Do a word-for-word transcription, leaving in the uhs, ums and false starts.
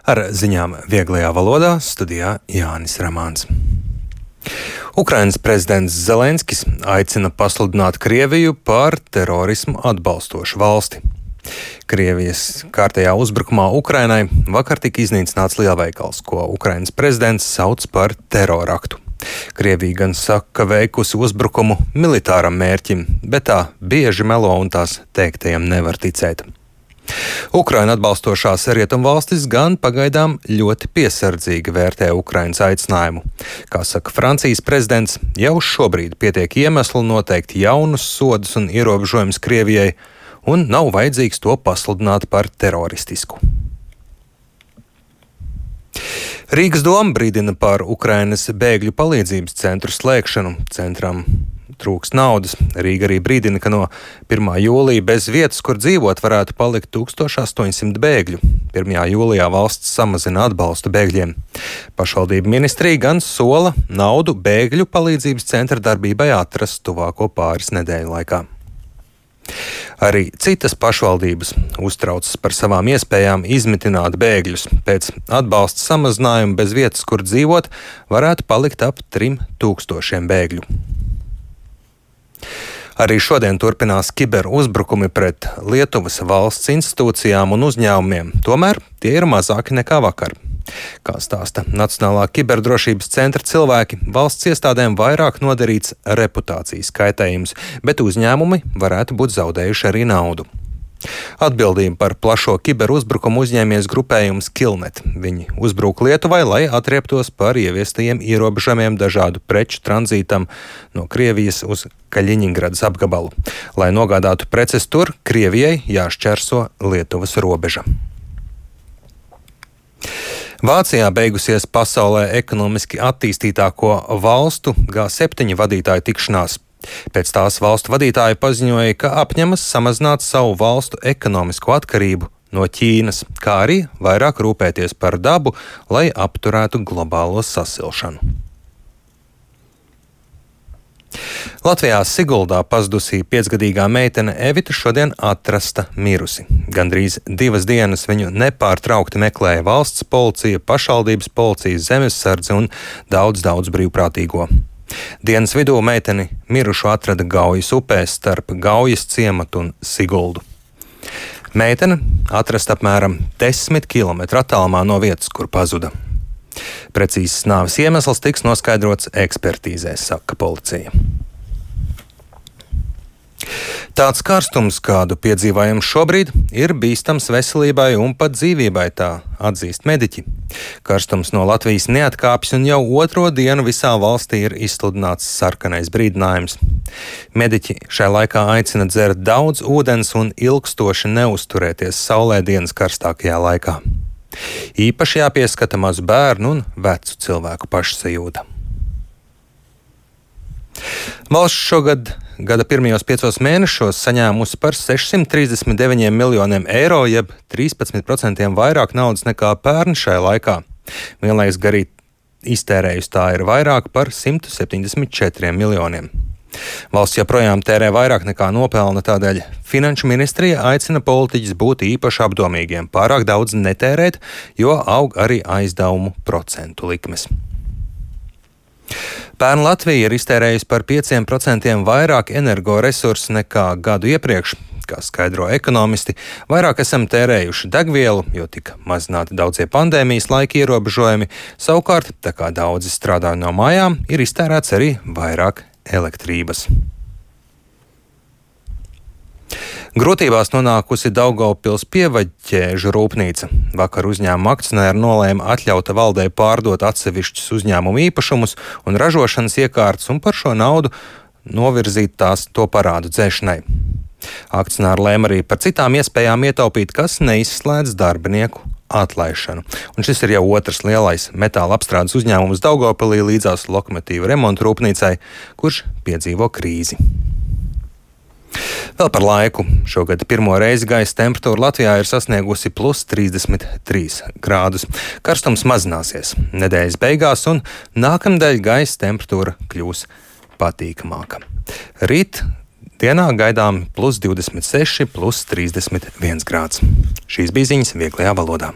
Ar ziņām vieglajā valodā studijā Jānis Ramāns. Ukrainas prezidents Zelenskis aicina pasludināt Krieviju par terorismu atbalstošu valsti. Krievijas kārtējā uzbrukumā Ukrainai vakar tika iznīcināts lielveikals, ko Ukrainas prezidents sauc par teroraktu. Krievija gan saka, ka veikusi uzbrukumu militāram mērķim, bet tā bieži melo un tās teiktajam nevar ticēt. Ukraina atbalstošās rietumvalstis gan pagaidām ļoti piesardzīgi vērtē Ukrainas aicinājumu. Kā saka Francijas prezidents, jau šobrīd pietiek iemeslu noteikt jaunus sodus un ierobežojumus Krievijai, un nav vajadzīgs to pasludināt par teroristisku. Rīgas doma brīdina par Ukrainas bēgļu palīdzības centru slēgšanu. Centram trūks naudas. Rīga arī brīdina, ka no pirmā jūlija bez vietas, kur dzīvot, varētu palikt tūkstoš astoņi simti bēgļu. pirmajā jūlijā valsts samazina atbalstu bēgļiem. Pašvaldība ministrija gan sola naudu bēgļu palīdzības centra darbībai atrast tuvāko pāris nedēļu laikā. Arī citas pašvaldības uztraucas par savām iespējām izmitināt bēgļus. Pēc atbalsta samazinājuma bez vietas, kur dzīvot, varētu palikt ap trim tūkstošiem bēgļu. Arī šodien turpinās kiberuzbrukumi pret Lietuvas valsts institūcijām un uzņēmumiem, tomēr tie ir mazāki nekā vakar. Kā stāsta Nacionālā kiberdrošības centra cilvēki, valsts iestādēm vairāk nodarīts reputācijas kaitējums, bet uzņēmumi varētu būt zaudējuši arī naudu. Atbildību par plašo kiberuzbrukumu uzņēmies grupējums Killnet. Viņi uzbruka Lietuvai, lai atrieptos par ieviestajiem ierobežojumiem dažādu preču tranzītam no Krievijas uz Kaļiņingradas apgabalu. Lai nogādātu preces tur, Krievijai jāšķērso Lietuvas robeža. Vācijā beigusies pasaulē ekonomiski attīstītāko valstu G septiņi vadītāju tikšanās. Pēc tās valstu vadītāji paziņoja, ka apņemas samazināt savu valstu ekonomisko atkarību no Ķīnas, kā arī vairāk rūpēties par dabu, lai apturētu globālo sasilšanu. Latvijā Siguldā pazudusī piecgadīgā meitene Evita šodien atrasta mirusi. Gandrīz divas dienas viņu nepārtraukti meklēja valsts policija, pašvaldības policija, zemesardze un daudz, daudz brīvprātīgo. Dienas vidū meiteni mirušu atrada Gaujas upē starp Gaujas ciematu un Siguldu. Meitene atrasta apmēram desmit kilometru attālumā no vietas, kur pazuda. Precīzs nāves iemesls tiks noskaidrots ekspertīzē, saka policija. Tāds karstums, kādu piedzīvojam šobrīd, ir bīstams veselībai un pat dzīvībai, tā atzīst mediķi. Karstums no Latvijas neatkāpjas un jau otro dienu visā valstī ir izsludināts sarkanais brīdinājums. Mediķi šai laikā aicina dzert daudz ūdens un ilgstoši neuzturēties saulē dienas karstākajā laikā. Īpaši jāpieskata mazu bērnu un vecu cilvēku pašsajūta. Valsts šogad gada pirmajos piecos mēnešos saņēmusi par sešsimt trīsdesmit deviņiem miljoniem eiro, jeb trīspadsmit procentiem vairāk naudas nekā pērn šai laikā. Vienlaikus garī iztērējusi tā ir vairāk par simt septiņdesmit četriem miljoniem. Valsts joprojām tērē vairāk nekā nopelna, tādēļ Finanšu ministrija aicina politiķus būt īpaši apdomīgiem, pārāk daudz netērēt, jo aug arī aizdevumu procentu likmes. Pērn Latvija ir iztērējusi par pieciem procentiem vairāk energoresursu nekā gadu iepriekš. Kā skaidro ekonomisti, vairāk esam tērējuši degvielu, jo tika mazināti daudzie pandēmijas laika ierobežojumi. Savukārt, tā kā daudzi strādā no mājām, ir iztērēts arī vairāk elektrības. Grūtībās nonākusi Daugavpils pievaļķēžu rūpnīca. Vakar uzņēmuma akcionāri nolēma atļaut valdei pārdot atsevišķus uzņēmumu īpašumus un ražošanas iekārtas un par šo naudu novirzīt tās to parādu dzēšanai. Akcionāri lēma arī par citām iespējām ietaupīt, kas neizslēdz darbinieku atlaišanu. Un šis ir jau otrs lielais metāla apstrādes uzņēmums Daugavpilī līdzās lokomotīvu remontu rūpnīcai, kurš piedzīvo krīzi. Vēl par laiku. Šogad pirmo reizi gaisa temperatūra Latvijā ir sasniegusi plus trīsdesmit trīs grādus. Karstums mazināsies nedēļas beigās un nākamnedēļ gaisa temperatūra kļūs patīkamāka. Rīt dienā gaidām plus divdesmit seši, plus trīsdesmit viens grāds. Šīs bija ziņas vieglajā valodā.